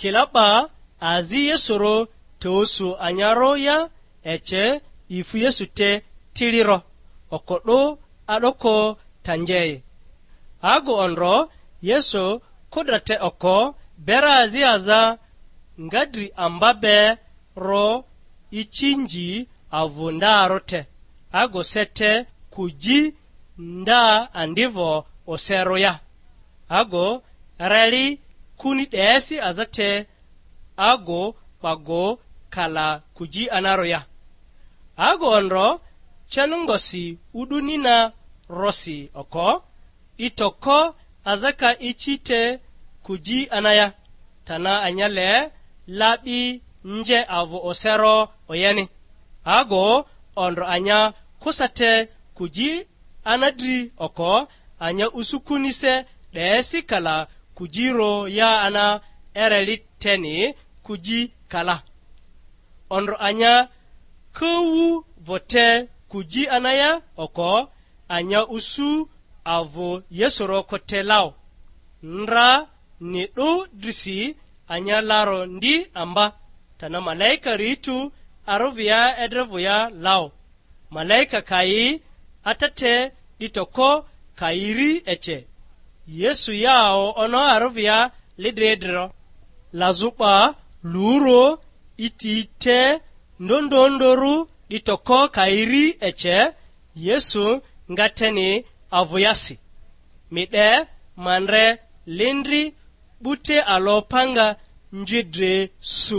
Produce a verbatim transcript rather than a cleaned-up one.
Kila 'ba azi Yesuro te osu anyarᴜ ya, ece ifu Yesu te tiliro, oko 'du a'doko tanjei. Agu ondro Yesu kudra te oko bera azi aza nga dri amba be ro ichinji avᴜ ndarᴜ te, agu se te kuji nda andivo oserᴜ ya. Ago reli kuni 'desi aza te, ago 'bago kala kuji anarᴜ ya. Ago ondro cenongosi u'duni na rosi oko, 'di toko aza ka ici te kuji anaya, tana anyale labi nje avᴜ osero oyeni. Ago ondro anya kusa te kuji ana dri oko, anya usu kunise 'desi kala kujiro ya ana ereli teni kuji kala. Ondro anya kawu vote kuji anaya oko, anya usu avᴜ Yesuro kote lao. Ndra ni 'du drisi anya laro ndi amba, tana malaika ritu arᴜvia edrevᴜ ya lao. Malaika ka yi ata te, 'di toko ka yi ri ece, Yesu yao ono arᴜvia lidri idriro. Lazᴜ 'ba luro iti te ndondondorᴜ, 'di toko ka yi ri ece, Yesu nga teni avᴜ yasi. Mi 'de, ma ndre lindri 'bute alo panga nji dre su.